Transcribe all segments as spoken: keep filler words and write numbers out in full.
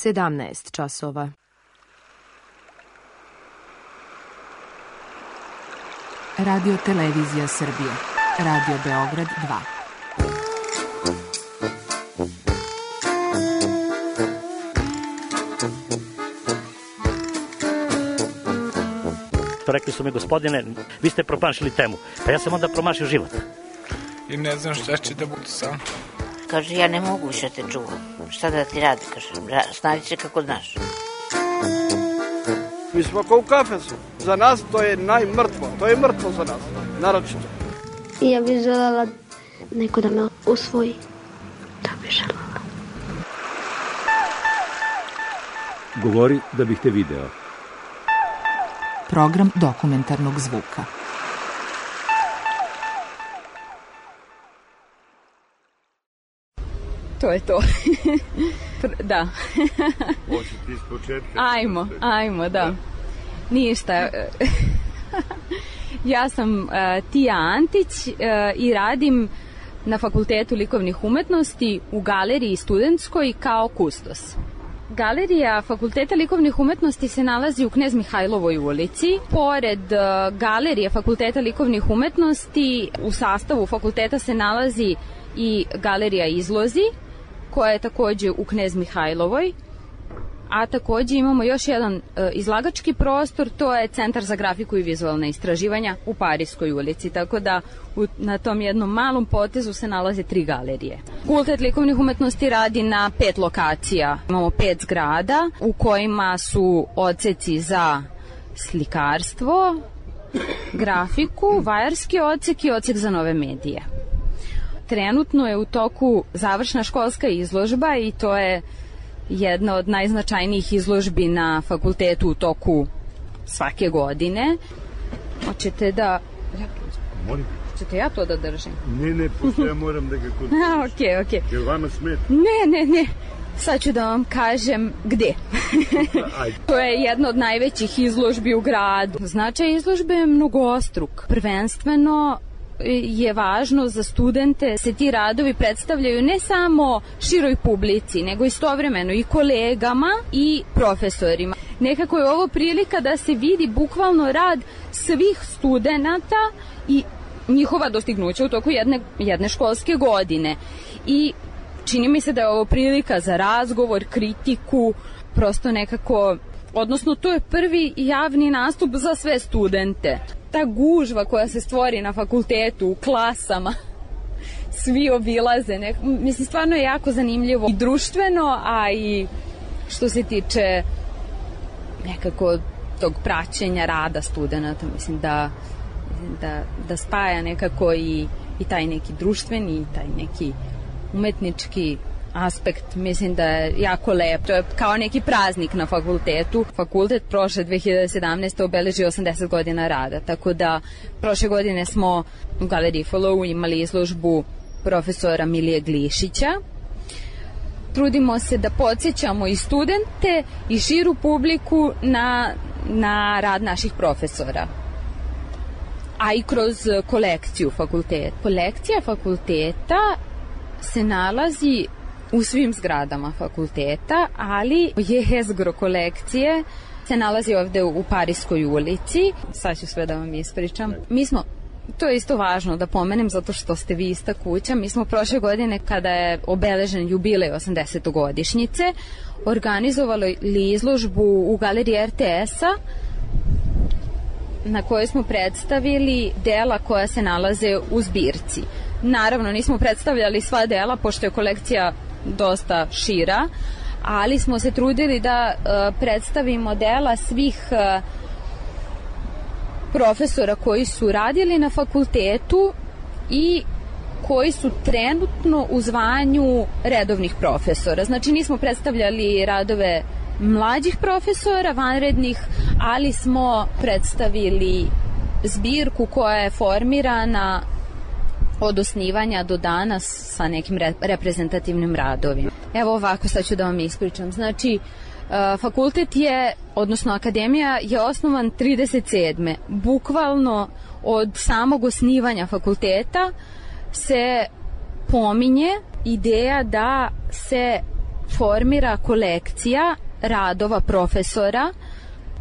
sedamnaest časova. Radio Televizija Srbije. Radio Beograd dva. Rekli su mi, gospodine, vi ste promašili temu. Pa ja sam onda promašio život. I ne znam šta će da bude sam. Kaže, ja ne mogu više te čuvam. Šta da ti radi, kaže, snađi se kako znaš. Mi smo kao u kafesu. Za nas to je najmrtvo. To je mrtvo za nas, naročito. I ja bih želela neko da me usvoji. To bih želela. Govori da bih te video. Program dokumentarnog zvuka. To je to. Da. Hoćete iz početka? Ajmo, ajmo, da. Ništa. Ja sam uh, Tija Antić uh, i radim na Fakultetu likovnih umetnosti u galeriji studentskoj kao kustos. Galerija Fakulteta likovnih umetnosti se nalazi u Knez Mihajlovoj ulici. Pored uh, galerije Fakulteta likovnih umetnosti u sastavu fakulteta se nalazi i galerija Izlozi, koja je takođe u Knez Mihajlovoj, a takođe imamo još jedan e, izlagački prostor, to je Centar za grafiku i vizualne istraživanja u Parijskoj ulici, tako da u, na tom jednom malom potezu se nalaze tri galerije. Fakultet likovnih umetnosti radi na pet lokacija. Imamo pet zgrada u kojima su odseci za slikarstvo, grafiku, vajarski odsek i odsek za nove medije. Trenutno je u toku završna školska izložba i to je jedna od najznačajnijih izložbi na fakultetu u toku svake godine. Hoćete da... Molim. Hoćete ja to da držim? Ne, ne, pošto ja moram da ga kod... A, okej, okej. Jel vama smeta? Ne, ne, ne. Sad ću da vam kažem gde. To je jedna od najvećih izložbi u gradu. Značaj izložbe je mnogostruk. Prvenstveno je važno za studente se ti radovi predstavljaju ne samo široj publici, nego istovremeno i kolegama i profesorima. Nekako je ovo prilika da se vidi bukvalno rad svih studenata i njihova dostignuća u toku jedne, jedne školske godine. I čini mi se da je ovo prilika za razgovor, kritiku, prosto nekako, odnosno to je prvi javni nastup za sve studente. Ta gužva koja se stvori na fakultetu, u klasama, svi obilaze. Nek... Mislim, stvarno je jako zanimljivo i društveno, a i što se tiče nekako tog praćenja rada studenta. Mislim da, da, da spaja nekako i, i taj neki društveni, i taj neki umetnički aspekt, mislim da je jako lep. To je kao neki praznik na fakultetu. Fakultet prošle dve hiljade sedamnaeste. obeležio osamdeset godina rada, tako da prošle godine smo u galeriji Follow imali izložbu profesora Milije Glišića. Trudimo se da podsjećamo i studente i širu publiku na, na rad naših profesora, a i kroz kolekciju fakulteta. Kolekcija fakulteta se nalazi u svim zgradama fakulteta, ali jezgro kolekcije se nalazi ovde u Parijskoj ulici. Sad ću sve da vam ispričam. Mi smo, to je isto važno da pomenem zato što ste vi ista kuća, mi smo prošle godine kada je obeležen jubilej osamdesetogodišnjice organizovali izložbu u galeriji er te es-a na kojoj smo predstavili dela koja se nalaze u zbirci. Naravno, nismo predstavljali sva dela, pošto je kolekcija dosta šira, ali smo se trudili da uh, predstavimo dela svih uh, profesora koji su radili na fakultetu i koji su trenutno u zvanju redovnih profesora. Znači, nismo predstavljali radove mlađih profesora, vanrednih, ali smo predstavili zbirku koja je formirana od osnivanja do danas sa nekim re- reprezentativnim radovima. Evo ovako, sad ću da vam ispričam. Znači, uh, fakultet je, odnosno akademija je osnovan trideset sedme. Bukvalno od samog osnivanja fakulteta se pominje ideja da se formira kolekcija radova profesora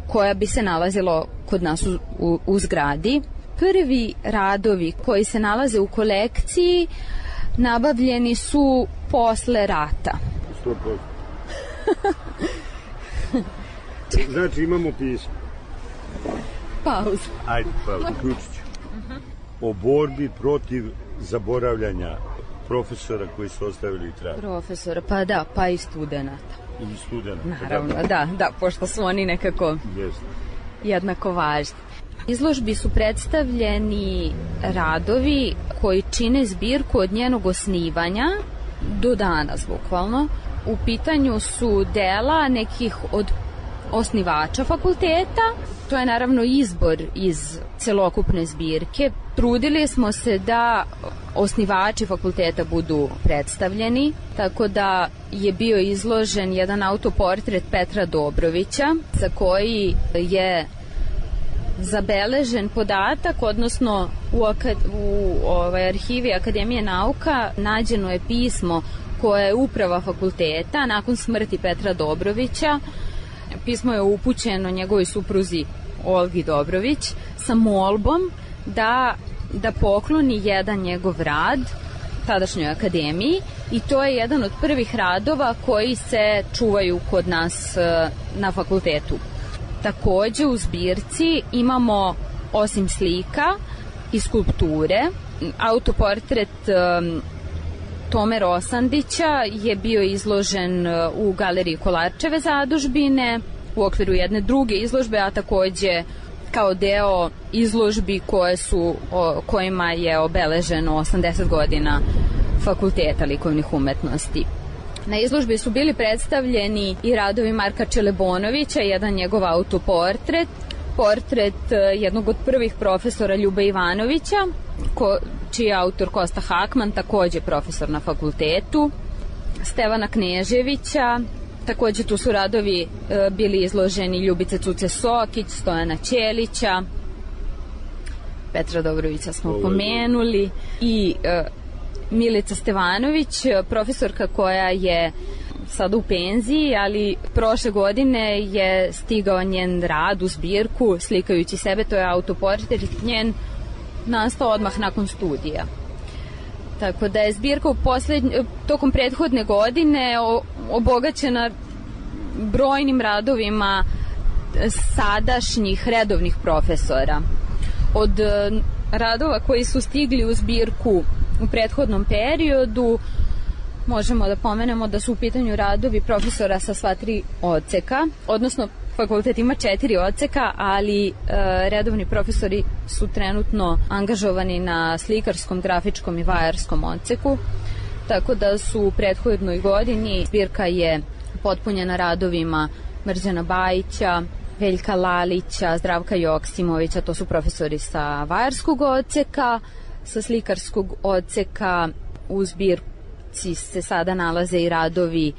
koja bi se nalazilo kod nas u, u, u zgradi. Prvi radovi koji se nalaze u kolekciji nabavljeni su posle rata. sto posto. Znači imamo pismo. Pauza. Ajde, pauza, uključit ću. O borbi protiv zaboravljanja profesora koji su ostavili trag. Profesora, pa da, pa i studenta. I studenta. Naravno, da, da, pošto su oni nekako Jeste. jednako važni. Izložbi su predstavljeni radovi koji čine zbirku od njenog osnivanja do danas, bukvalno. U pitanju su dela nekih od osnivača fakulteta. To je naravno izbor iz celokupne zbirke. Trudili smo se da osnivači fakulteta budu predstavljeni, tako da je bio izložen jedan autoportret Petra Dobrovića, za koji je zabeležen podatak, odnosno u, akad, u ovaj, arhivi Akademije nauka nađeno je pismo koje je uprava fakulteta nakon smrti Petra Dobrovića. Pismo je upućeno njegovoj supruzi Olgi Dobrović sa molbom da, da pokloni jedan njegov rad tadašnjoj akademiji, i to je jedan od prvih radova koji se čuvaju kod nas na fakultetu. Takođe u zbirci imamo, osim slika i skulpture, autoportret um, Tome Rosandića je bio izložen u galeriji Kolarčeve zadužbine u okviru jedne druge izložbe, a takođe kao deo izložbi koje su, o, kojima je obeleženo osamdeset godina Fakulteta likovnih umetnosti. Na izložbi su bili predstavljeni i radovi Marka Čelebonovića, jedan njegov autoportret, portret jednog od prvih profesora Ljube Ivanovića, ko, čiji je autor Kosta Hakman, takođe profesor na fakultetu, Stevana Kneževića, takođe tu su radovi e, bili izloženi Ljubice Cuce Sokić, Stojana Ćelića, Petra Dobrovića smo pomenuli, i e, Milica Stevanović, profesorka koja je sada u penziji, ali prošle godine je stigao njen rad u zbirku slikajući sebe, to je autoportret njen nastao odmah nakon studija. Tako da je zbirka u poslednj, tokom prethodne godine obogaćena brojnim radovima sadašnjih redovnih profesora. Od radova koji su stigli u zbirku u prethodnom periodu možemo da pomenemo da su u pitanju radovi profesora sa sva tri odseka, odnosno fakultet ima četiri odseka, ali e, redovni profesori su trenutno angažovani na slikarskom, grafičkom i vajarskom odseku, tako da su u prethodnoj godini zbirka je potpunjena radovima Mrđana Bajića, Veljka Lalića, Zdravka Joksimovića, to su profesori sa vajarskog odseka. Sa slikarskog odseka u zbirci se sada nalaze i radovi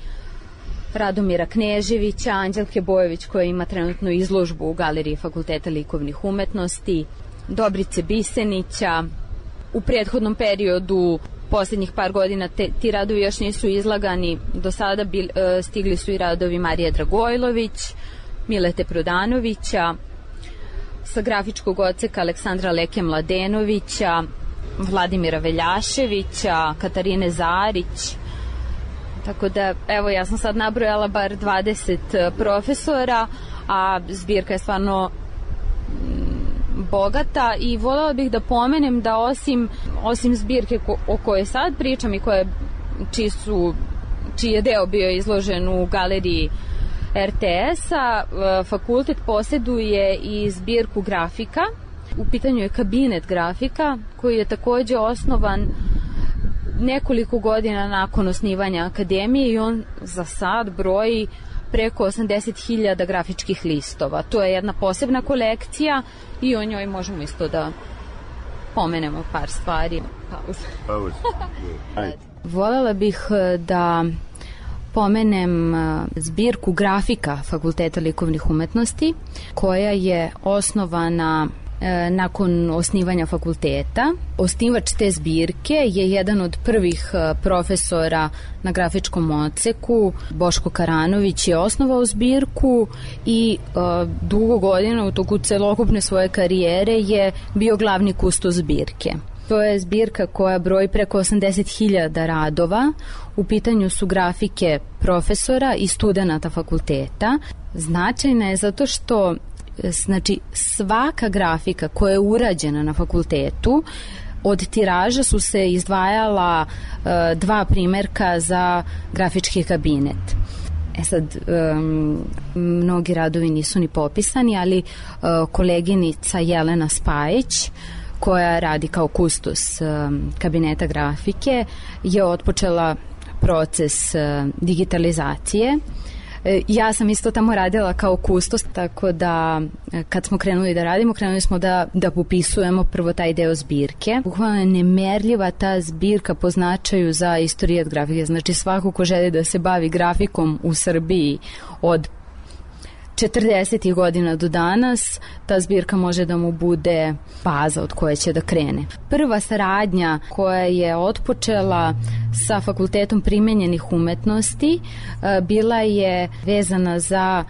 Radomira Kneževića, Anđelke Bojović koja ima trenutno izložbu u galeriji Fakulteta likovnih umetnosti, Dobrice Bisenića. U prethodnom periodu, posljednjih par godina, te, ti radovi još nisu izlagani. Do sada bil, e, stigli su i radovi Marije Dragojlović, Milete Prodanovića, sa grafičkog odseka Aleksandra Leke Mladenovića, Vladimira Veljaševića, Katarine Zarić. Tako da, evo, ja sam sad nabrojala bar dvadeset profesora, a zbirka je stvarno bogata, i voljela bih da pomenem da osim, osim zbirke ko, o kojoj sad pričam i koje, čiji, su, čiji je deo bio izložen u galeriji er te es-a, fakultet posjeduje i zbirku grafika. U pitanju je kabinet grafika koji je takođe osnovan nekoliko godina nakon osnivanja akademije, i on za sad broji preko osamdeset hiljada grafičkih listova. To je jedna posebna kolekcija i o njoj možemo isto da pomenemo par stvari. Pauza. Pauza. Voljela bih da pomenem zbirku grafika Fakulteta likovnih umetnosti koja je osnovana nakon osnivanja fakulteta. Osnivač te zbirke je jedan od prvih profesora na grafičkom odseku, Boško Karanović je osnovao zbirku i uh, dugo godina u toku celokupne svoje karijere je bio glavni kustos zbirke. To je zbirka koja broji preko osamdeset hiljada radova. U pitanju su grafike profesora i studenata fakulteta. Značajna je zato što znači, svaka grafika koja je urađena na fakultetu, od tiraža su se izdvajala uh, dva primerka za grafički kabinet. E sad, um, mnogi radovi nisu ni popisani, ali uh, koleginica Jelena Spajić, koja radi kao kustos um, kabineta grafike, je otpočela proces uh, digitalizacije. E, ja sam isto tamo radila kao kustos, tako da kad smo krenuli da radimo, krenuli smo da, da popisujemo prvo taj deo zbirke. Bukvalno je nemerljiva ta zbirka po značaju za istorijat grafike. Znači svako ko želi da se bavi grafikom u Srbiji od četrdesetih godina do danas, ta zbirka može da mu bude baza od koje će da krene. Prva saradnja koja je otpočela sa Fakultetom primenjenih umetnosti bila je vezana za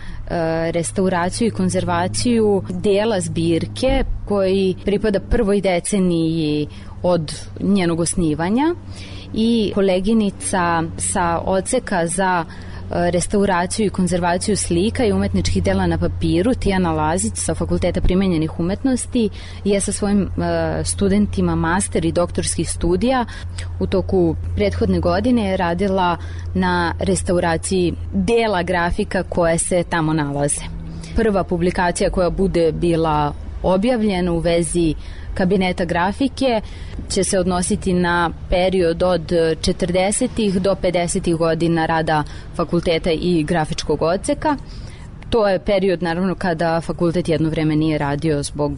restauraciju i konzervaciju dela zbirke koji pripada prvoj deceniji od njenog osnivanja i koleginica sa odseka za restauraciju i konzervaciju slika i umetničkih dela na papiru, Tijana Lazić sa Fakulteta primenjenih umetnosti je sa svojim uh, studentima master i doktorskih studija u toku prethodne godine je radila na restauraciji dela grafika koje se tamo nalaze. Prva publikacija koja bude bila objavljena u vezi kabineta grafike će se odnositi na period od četrdesetih do pedesetih godina rada fakulteta i grafičkog odseka. To je period naravno kada fakultet jedno vreme nije radio zbog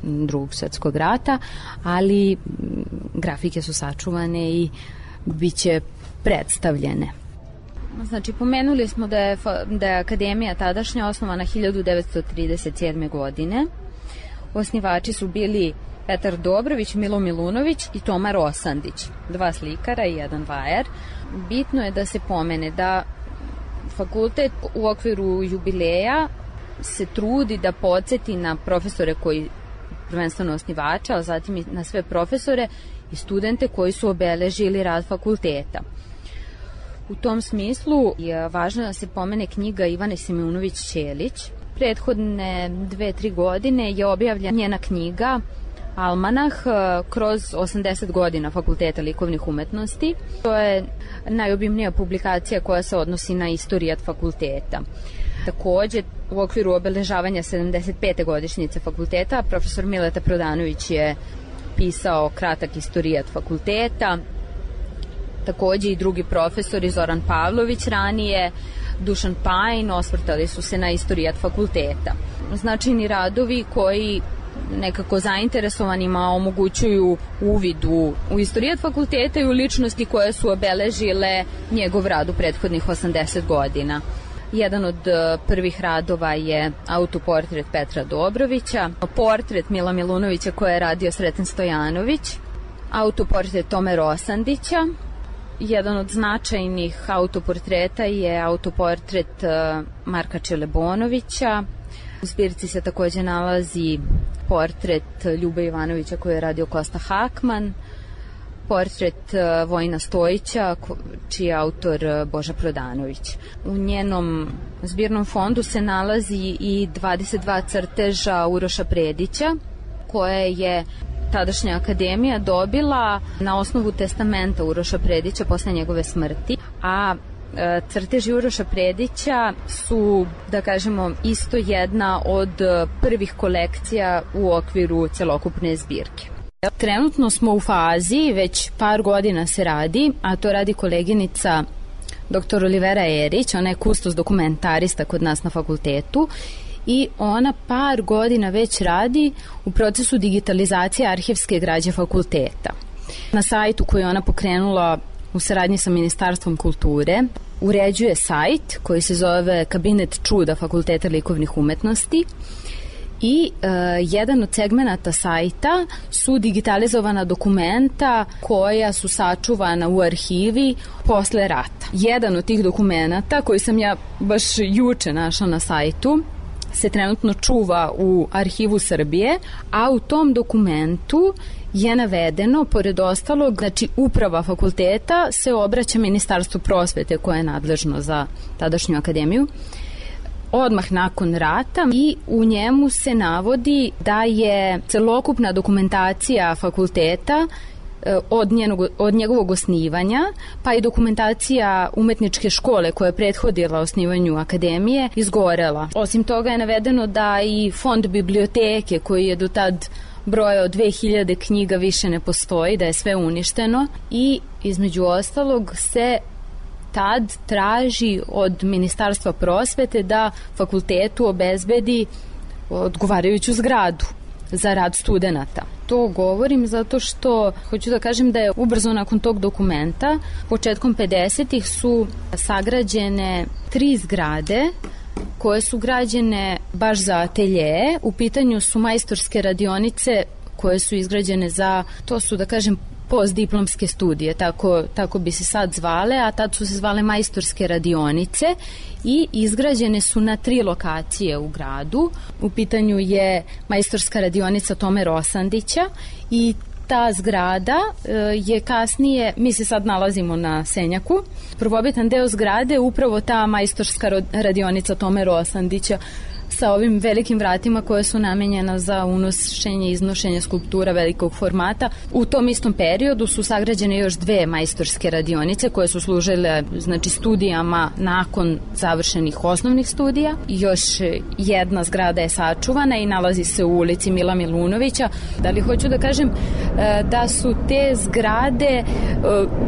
Drugog svjetskog rata, ali grafike su sačuvane i bit će predstavljene. Znači, pomenuli smo da je, da je akademija tadašnja osnovana hiljadu devetsto trideset sedme. godine. Osnivači su bili Petar Dobrović, Milo Milunović i Toma Rosandić, dva slikara i jedan vajar. Bitno je da se pomene da fakultet u okviru jubileja se trudi da podsjeti na profesore koji prvenstveno osnivača, a zatim i na sve profesore i studente koji su obeležili rad fakulteta. U tom smislu je važno da se pomene knjiga Ivane Simiunović-Ćelić. Prethodne dve, tri godine je objavljena njena knjiga Almanah kroz osamdeset godina Fakulteta likovnih umetnosti. To je najobimnija publikacija koja se odnosi na istorijat fakulteta. Takođe, u okviru obeležavanja sedamdeset pete godišnjice fakulteta, profesor Mileta Prodanović je pisao kratak istorijat fakulteta. Takođe i drugi profesori, Zoran Pavlović ranije, Dušan Pajin, osvrtali su se na istorijat fakulteta. Značajni radovi koji nekako zainteresovanima omogućuju uvid u, u istorijat fakulteta i u ličnosti koje su obeležile njegov rad u prethodnih osamdeset godina. Jedan od prvih radova je autoportret Petra Dobrovića, portret Mila Milunovića koje je radio Sreten Stojanović, autoportret Tome Rosandića. Jedan od značajnih autoportreta je autoportret Marka Čelebonovića. U zbirci se takođe nalazi portret Ljube Ivanovića koji je radio Kosta Hakman, portret Vojina Stojića čiji je autor Boža Prodanović. U njenom zbirnom fondu se nalazi i dvadeset dva crteža Uroša Predića koje je tadašnja akademija dobila na osnovu testamenta Uroša Predića posle njegove smrti, a crteži Uroša Predića su, da kažemo, isto jedna od prvih kolekcija u okviru celokupne zbirke. Trenutno smo u fazi, već par godina se radi, a to radi koleginica doktor Olivera Erić, ona je kustos dokumentarista kod nas na fakultetu i ona par godina već radi u procesu digitalizacije arhivske građe fakulteta. Na sajtu koji je ona pokrenula u saradnji sa Ministarstvom kulture uređuje sajt koji se zove Kabinet čuda Fakulteta likovnih umetnosti i e, jedan od segmenata sajta su digitalizovana dokumenta koja su sačuvana u arhivi posle rata. Jedan od tih dokumenata koji sam ja baš juče našla na sajtu se trenutno čuva u Arhivu Srbije, a u tom dokumentu je navedeno, pored ostalog, znači uprava fakulteta se obraća Ministarstvu prosvete koje je nadležno za tadašnju akademiju odmah nakon rata i u njemu se navodi da je celokupna dokumentacija fakulteta od, njenog, od njegovog osnivanja, pa i dokumentacija umetničke škole koja je prethodila osnivanju akademije izgorela. Osim toga je navedeno da i fond biblioteke koji je do tad brojao dve hiljade knjiga više ne postoji, da je sve uništeno i između ostalog se tad traži od Ministarstva prosvete da fakultetu obezbedi odgovarajuću zgradu za rad studenata. To govorim zato što hoću da kažem da je ubrzo nakon tog dokumenta, početkom pedesetih su sagrađene tri zgrade koje su građene baš za atelje. U pitanju su majstorske radionice koje su izgrađene za, to su da kažem postdiplomske studije, tako, tako bi se sad zvale, a tad su se zvale majstorske radionice i izgrađene su na tri lokacije u gradu. U pitanju je majstorska radionica Tome Rosandića i ta zgrada e, je kasnije, mi se sad nalazimo na Senjaku, prvobitan deo zgrade je upravo ta majstorska radionica Tome Rosandića sa ovim velikim vratima koje su namenjena za unošenje i iznošenje skulptura velikog formata. U tom istom periodu su sagrađene još dve majstorske radionice koje su služile znači studijama nakon završenih osnovnih studija. Još jedna zgrada je sačuvana i nalazi se u ulici Mila Milunovića. Da li hoću da kažem da su te zgrade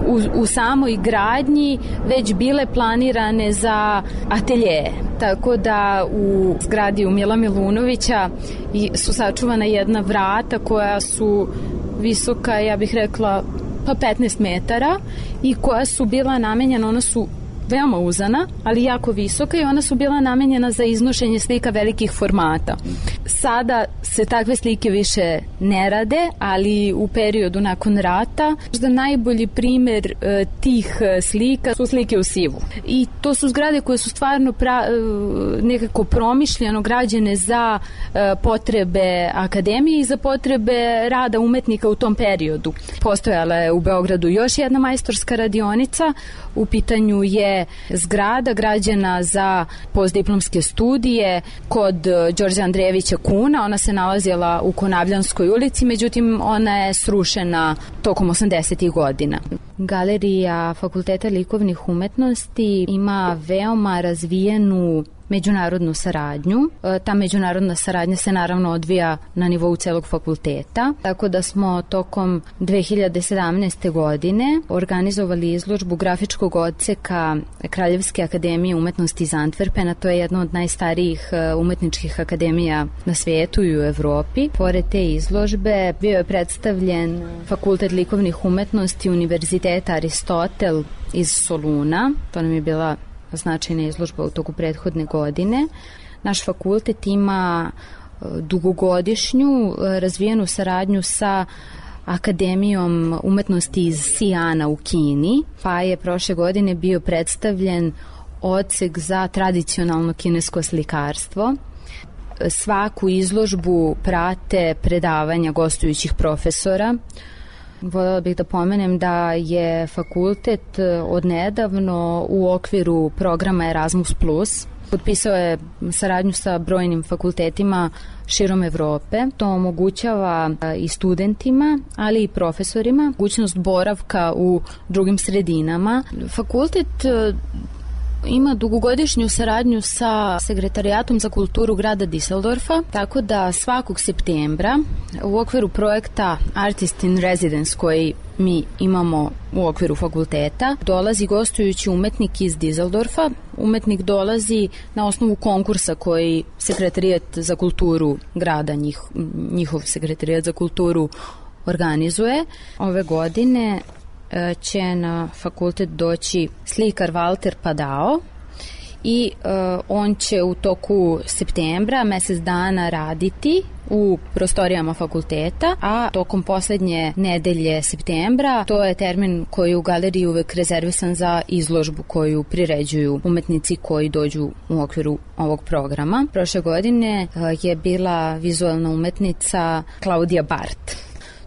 u, u samoj gradnji već bile planirane za atelje. Tako da u zgradi u Mila Milunovića su sačuvana jedna vrata koja su visoka, ja bih rekla, pa petnaest metara i koja su bila namenjena, ona su veoma uzana, ali jako visoka i ona su bila namenjena za iznošenje slika velikih formata. Sada se takve slike više ne rade, ali u periodu nakon rata možda najbolji primer e, tih slika su slike u sivu. I to su zgrade koje su stvarno pra, e, nekako promišljeno građene za e, potrebe akademije i za potrebe rada umetnika u tom periodu. Postojala je u Beogradu još jedna majstorska radionica, u pitanju je zgrada građena za postdiplomske studije kod Đorđa Andrejevića Kuna. Ona se nalazila u Konavljanskoj ulici, međutim ona je srušena tokom osamdesetih godina. Galerija Fakulteta likovnih umetnosti ima veoma razvijenu međunarodnu saradnju. Ta međunarodna saradnja se naravno odvija na nivou celog fakulteta, tako da smo tokom dve hiljade sedamnaeste. godine organizovali izložbu grafičkog odseka Kraljevske akademije umetnosti iz Antwerpena. To je jedna od najstarijih umetničkih akademija na svijetu i u Evropi. Pored te izložbe bio je predstavljen Fakultet likovnih umetnosti Univerziteta Aristotel iz Soluna. To nam je bila značajna izložba u toku prethodne godine. Naš fakultet ima dugogodišnju razvijenu saradnju sa Akademijom umetnosti iz Sijana u Kini, pa je prošle godine bio predstavljen odsek za tradicionalno kinesko slikarstvo. Svaku izložbu prate predavanja gostujućih profesora. Voljela bih da pomenem da je fakultet odnedavno u okviru programa Erasmus plus potpisao je saradnju sa brojnim fakultetima širom Evrope. To omogućava i studentima, ali i profesorima mogućnost boravka u drugim sredinama. Fakultet ima dugogodišnju saradnju sa Sekretarijatom za kulturu grada Düsseldorfa, tako da svakog septembra u okviru projekta Artist in Residence koji mi imamo u okviru fakulteta dolazi gostujući umetnik iz Düsseldorfa. Umetnik dolazi na osnovu konkursa koji Sekretarijat za kulturu grada, njih, njihov Sekretarijat za kulturu organizuje. Ove godine će na fakultet doći slikar Walter Padao i uh, on će u toku septembra mesec dana raditi u prostorijama fakulteta, a tokom poslednje nedelje septembra, to je termin koji je u galeriji uvek rezervisan za izložbu koju priređuju umetnici koji dođu u okviru ovog programa. Prošle godine uh, je bila vizualna umetnica Klaudija Bart.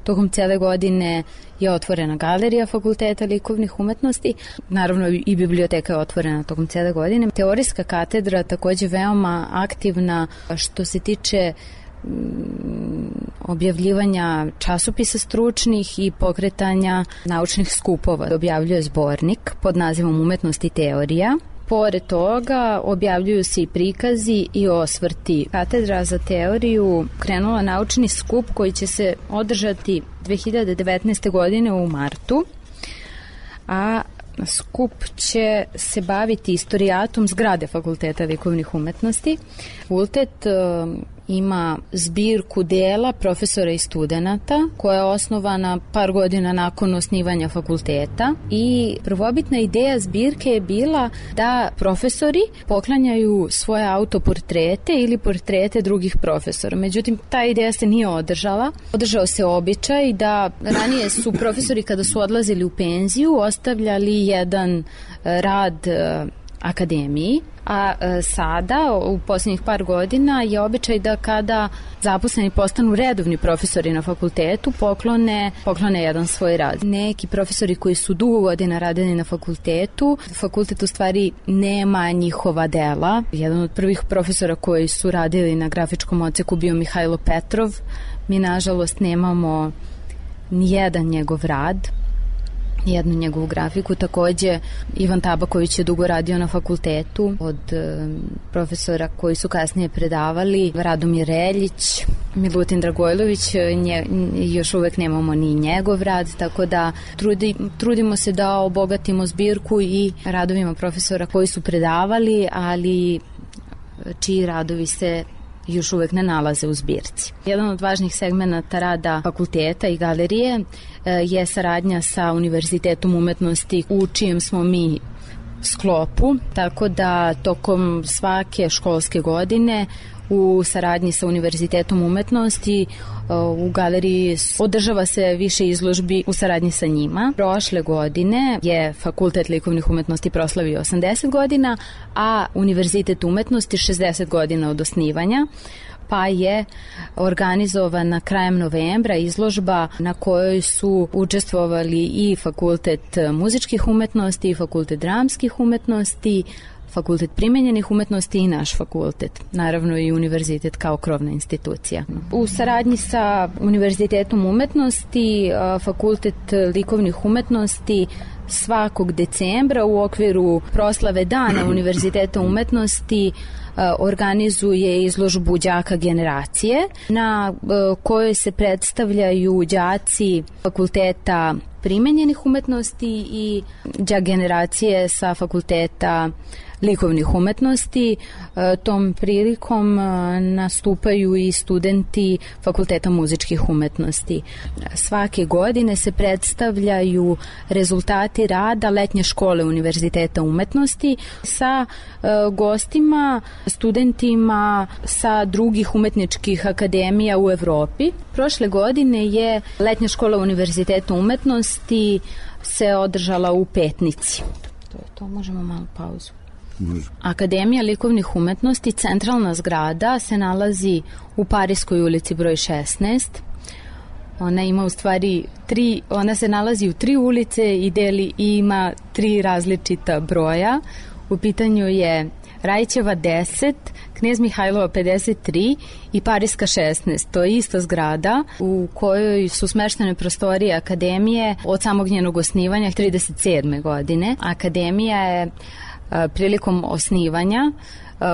Tokom cele godine je otvorena galerija Fakulteta likovnih umetnosti, naravno i biblioteka je otvorena tokom cele godine. Teorijska katedra takođe veoma aktivna što se tiče objavljivanja časopisa stručnih i pokretanja naučnih skupova. Objavljuje zbornik pod nazivom Umetnost i teorija. Pored toga objavljuju se i prikazi i osvrti. Katedra za teoriju krenula naučni skup koji će se održati dve hiljade devetnaeste. godine u martu, a skup će se baviti istorijatom zgrade Fakulteta likovnih umetnosti. Fakultet ima zbirku dela profesora i studenata koja je osnovana par godina nakon osnivanja fakulteta i prvobitna ideja zbirke je bila da profesori poklanjaju svoje autoportrete ili portrete drugih profesora. Međutim, ta ideja se nije održala. Održao se običaj da ranije su profesori kada su odlazili u penziju ostavljali jedan rad akademiji, a e, sada u posljednjih par godina je običaj da kada zaposleni postanu redovni profesori na fakultetu poklone, poklone jedan svoj rad. Neki profesori koji su dugo godina radili na fakultetu, fakultet u stvari nema njihova dela. Jedan od prvih profesora koji su radili na grafičkom odseku bio Mihajlo Petrov. Mi nažalost nemamo nijedan njegov rad, jednu njegovu grafiku. Takođe, Ivan Tabaković je dugo radio na fakultetu. Od e, profesora koji su kasnije predavali, Radomir Reljić, Milutin Dragojlović, nje, još uvek nemamo ni njegov rad, tako da trudi, trudimo se da obogatimo zbirku i radovima profesora koji su predavali, ali čiji radovi se još uvek ne nalaze u zbirci. Jedan od važnih segmenata rada fakulteta i galerije je saradnja sa Univerzitetom umetnosti u čijem smo mi sklopu, tako da tokom svake školske godine u saradnji sa Univerzitetom umetnosti u galeriji održava se više izložbi u saradnji sa njima. Prošle godine je Fakultet likovnih umetnosti proslavio osamdeset godina, a Univerzitet umetnosti šezdeset godina od osnivanja, pa je organizovana krajem novembra izložba na kojoj su učestvovali i Fakultet muzičkih umetnosti, i Fakultet dramskih umetnosti, Fakultet primenjenih umetnosti i naš fakultet, naravno i univerzitet kao krovna institucija. U saradnji sa Univerzitetom umetnosti, Fakultet likovnih umetnosti svakog decembra u okviru proslave Dana Univerziteta umetnosti organizuje izložbu đaka generacije na kojoj se predstavljaju đaci fakulteta primenjenih umetnosti i đak generacije sa fakulteta likovnih umetnosti. Tom prilikom nastupaju i studenti Fakulteta muzičkih umetnosti. Svake godine se predstavljaju rezultati rada letnje škole Univerziteta umetnosti sa gostima, studentima sa drugih umetničkih akademija u Evropi. Prošle godine je letnja škola Univerziteta umetnosti se održala u Petnici. To je to, možemo malo pauzu. Akademija likovnih umetnosti, centralna zgrada, se nalazi u Parijskoj ulici broj šesnaest. Ona ima u stvari tri, ona se nalazi u tri ulice i deli i ima tri različita broja. U pitanju je Rajićeva deset, Knez Mihajlova pedeset tri i Parijska šesnaest. To je ista zgrada u kojoj su smeštene prostorije akademije od samog njenog osnivanja trideset sedme godine. Akademija je prilikom osnivanja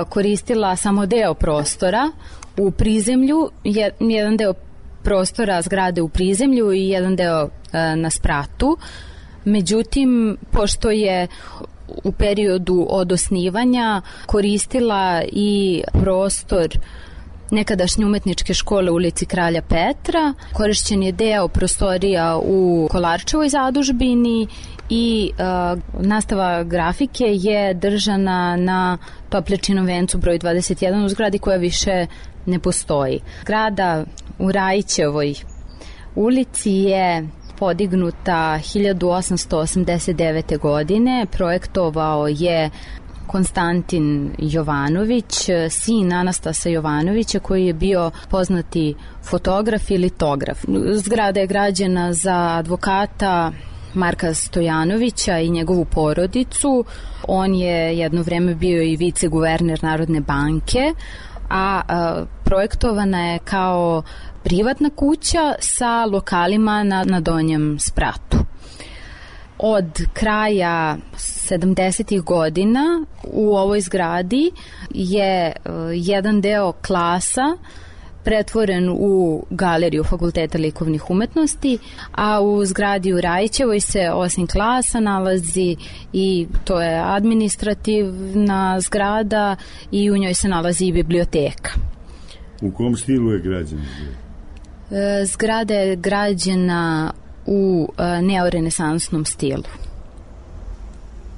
koristila samo deo prostora u prizemlju, jedan deo prostora zgrade u prizemlju i jedan deo na spratu. Međutim, pošto je u periodu od osnivanja koristila i prostor nekadašnje umetničke škole u ulici Kralja Petra. Korišćen je deo prostorija u Kolarčevoj zadužbini i uh, nastava grafike je držana na Topljačinom vencu broj dvadeset jedan u zgradi koja više ne postoji. Zgrada u Rajićevoj ulici je podignuta hiljadu osamsto osamdeset devete. godine. Projektovao je Konstantin Jovanović, sin Anastasa Jovanovića, koji je bio poznati fotograf i litograf. Zgrada je građena za advokata Marka Stojanovića i njegovu porodicu. On je jedno vreme bio i viceguverner Narodne banke, a, a projektovana je kao privatna kuća sa lokalima na, na Donjem spratu. Od kraja sedamdesetih godina u ovoj zgradi je uh, jedan deo klasa pretvoren u galeriju Fakulteta likovnih umetnosti, a u zgradi u Rajićevoj se osim klasa nalazi i to je administrativna zgrada i u njoj se nalazi i biblioteka. U kom stilu je građena? E, zgrada je građena u e, neorenesansnom stilu.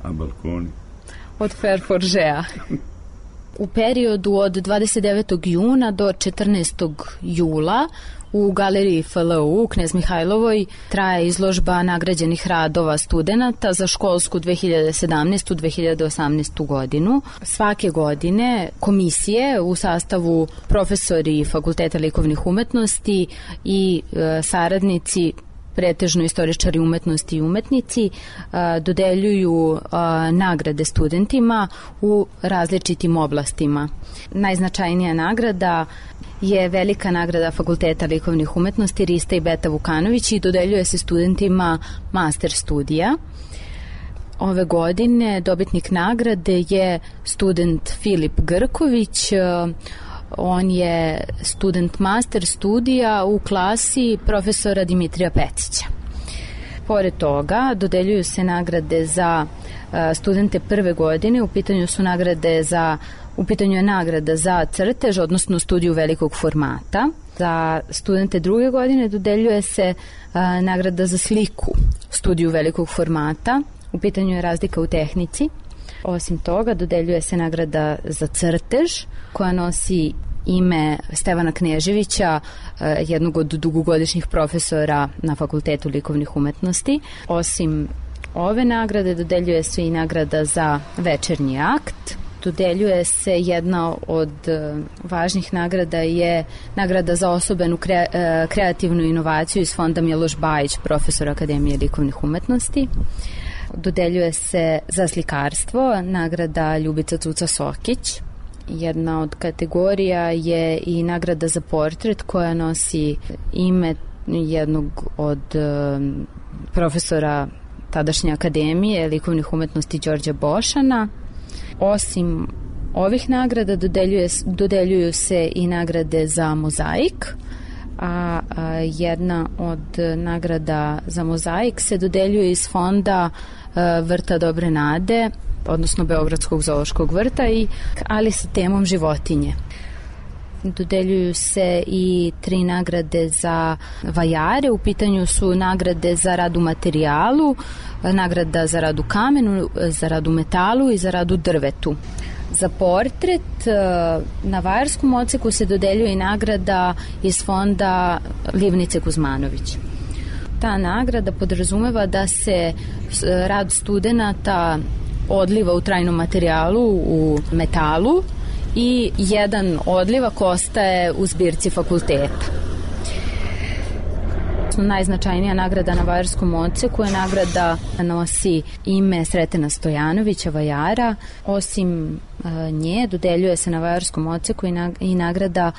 A balkoni? Od Ferforgea. U periodu od dvadeset devetog juna do četrnaestog jula u galeriji F L U u Knez Mihajlovoj traje izložba nagrađenih radova studenata za školsku dve hiljade sedamnaestu dve hiljade osamnaestu. godinu. Svake godine komisije u sastavu profesori Fakulteta likovnih umetnosti i e, saradnici, pretežno istoričari umetnosti i umetnici, a, dodeljuju a, nagrade studentima u različitim oblastima. Najznačajnija nagrada je velika nagrada Fakulteta likovnih umetnosti Rista i Beta Vukanović i dodeljuje se studentima master studija. Ove godine dobitnik nagrade je student Filip Grković. On je student master studija u klasi profesora Dimitrija Pecića. Pored toga, dodeljuju se nagrade za studente prve godine. U pitanju su nagrade za, u pitanju je nagrada za crtež, odnosno studiju velikog formata. Za studente druge godine dodeljuje se a, nagrada za sliku, studiju velikog formata. U pitanju je razlika u tehnici. Osim toga, dodeljuje se nagrada za crtež, koja nosi ime Stevana Kneževića, jednog od dugogodišnjih profesora na Fakultetu likovnih umetnosti. Osim ove nagrade, dodeljuje se i nagrada za večernji akt. Dodeljuje se jedna od važnih nagrada je nagrada za osobenu kre, kreativnu inovaciju iz fonda Miloš Bajić, profesor Akademije likovnih umetnosti. Dodeljuje se za slikarstvo nagrada Ljubica Cuca Sokić. Jedna od kategorija je i nagrada za portret koja nosi ime jednog od um, profesora tadašnje Akademije likovnih umetnosti Đorđa Bošana. Osim ovih nagrada dodeljuje, dodeljuju se i nagrade za mozaik, a, a jedna od nagrada za mozaik se dodeljuje iz fonda a, Vrta Dobre Nade, odnosno Beogradskog zoološkog vrta, i, ali sa temom životinje. Dodeljuju se i tri nagrade za vajare. U pitanju su nagrade za rad u materijalu, nagrada za rad u kamenu, za rad u metalu i za rad u drvetu. Za portret na vajarskom odseku se dodeljuje i nagrada iz fonda Livnice Kuzmanović. Ta nagrada podrazumeva da se rad studenata odliva u trajnom materijalu, u metalu, i jedan odlivak ostaje u zbirci fakulteta. Najznačajnija nagrada na vajarskom odseku je nagrada nosi ime Sretena Stojanovića, vajara. Osim nje dodeljuje se na vajarskom odseku i nagrada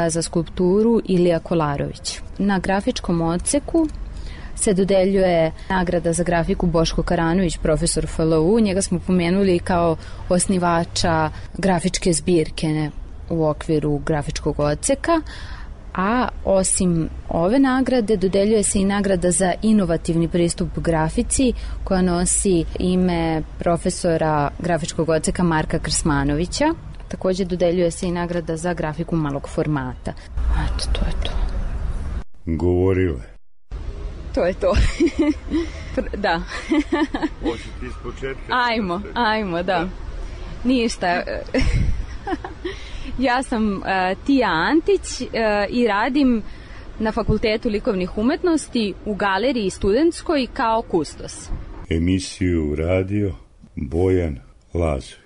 za skulpturu Ilija Kolarović. Na grafičkom odseku se dodeljuje nagrada za grafiku Boško Karanović, profesor F L U. Njega smo pomenuli kao osnivača grafičke zbirke u okviru grafičkog odseka, a osim ove nagrade dodeljuje se i nagrada za inovativni pristup grafici koja nosi ime profesora grafičkog odseka Marka Krsmanovića. Takođe dodeljuje se i nagrada za grafiku malog formata. Eto, to je to. Govorile. To je to. Da. Hoće ti iz početka? Ajmo, ajmo, da. Ništa. Ja sam uh, Tija Antić uh, i radim na Fakultetu likovnih umetnosti u galeriji studentskoj kao kustos. Emisiju radio Bojan Lazović.